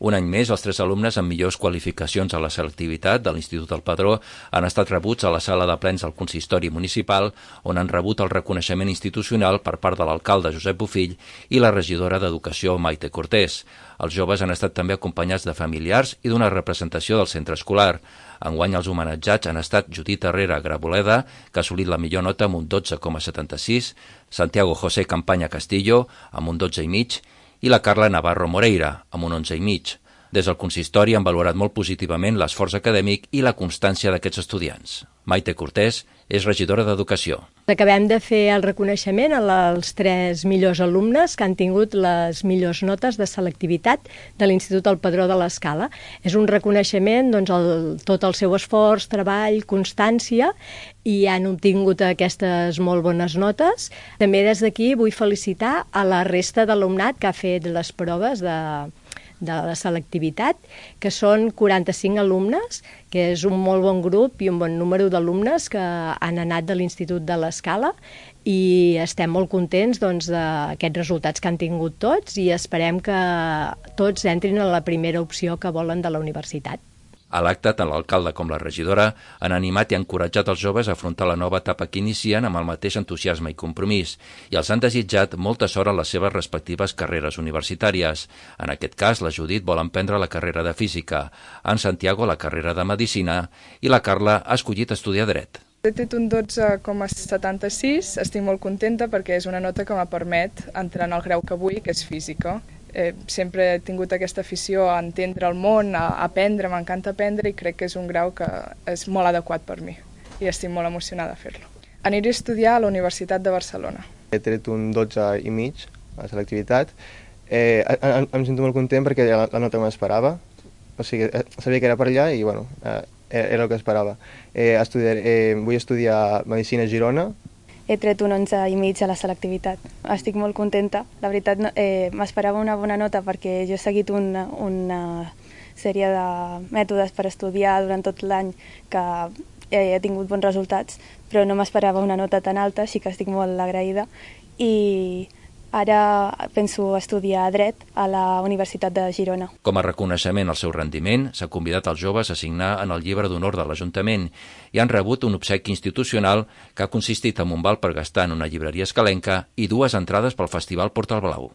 Un any més, els 3 alumnes amb millors qualificacions a la selectivitat de l'Institut del Padró han estat rebuts a la sala de plens del consistori municipal, on han rebut el reconeixement institucional per part de l'alcalde Josep Bofill i la regidora d'Educació Maite Cortés. Els joves han estat també acompanyats de familiars i d'una representació del centre escolar. Enguany els homenatjats han estat Judit Herrera Graboleda, que ha assolit la millor nota amb un 12,76, Santiago José Campaña Castillo amb un 12,5 i la Carla Navarro Moreira amb un 11,5. Des del consistori han valorat molt positivament l'esforç acadèmic i la constància d'aquests estudiants. Maite Cortés és regidora d'Educació. Acabem de fer el reconeixement als 3 millors alumnes que han tingut les millors notes de selectivitat de l'Institut del Padró de l'Escala. És un reconeixement, tot el seu esforç, treball, constància, i han obtingut aquestes molt bones notes. També des d'aquí vull felicitar a la resta d'alumnat que ha fet les proves de la selectivitat, que són 45 alumnes, que és un molt bon grup i un bon número d'alumnes que han anat de l'Institut de l'Escala, i estem molt contents d'aquests resultats que han tingut tots i esperem que tots entrin a la primera opció que volen de la universitat. A l'acte, tant l'alcalde com la regidora han animat i encoratjat els joves a afrontar la nova etapa que inicien amb el mateix entusiasme i compromís, i els han desitjat molta sort en les seves respectives carreres universitàries. En aquest cas, la Judit vol emprendre la carrera de Física, en Santiago la carrera de Medicina i la Carla ha escollit estudiar Dret. He tret un 12,76, estic molt contenta perquè és una nota que me permet entrar en el grau que vull, que és Física. Sempre he tingut aquesta afició a entendre el món, a aprendre, m'encanta aprendre i crec que és un grau que és molt adequat per mi i estic molt emocionada de fer-lo. Aniré a estudiar a la Universitat de Barcelona. He tret un 12,5 a la selectivitat. Em sento molt content perquè era la nota que m'esperava, o sigui, sabia que era per allà i bueno, era el que esperava. Vull estudiar Medicina a Girona. He tret un 11,5 a la selectivitat. Estic molt contenta. La veritat, m'esperava una bona nota perquè jo he seguit una sèrie de mètodes per estudiar durant tot l'any que he tingut bons resultats, però no m'esperava una nota tan alta, així que estic molt agraïda. I ara penso estudiar Dret a la Universitat de Girona. Com a reconeixement al seu rendiment, s'ha convidat els joves a signar en el llibre d'honor de l'Ajuntament i han rebut un obsequi institucional que ha consistit en un val per gastar en una llibreria escalenca i 2 entrades pel Festival Portal Blau.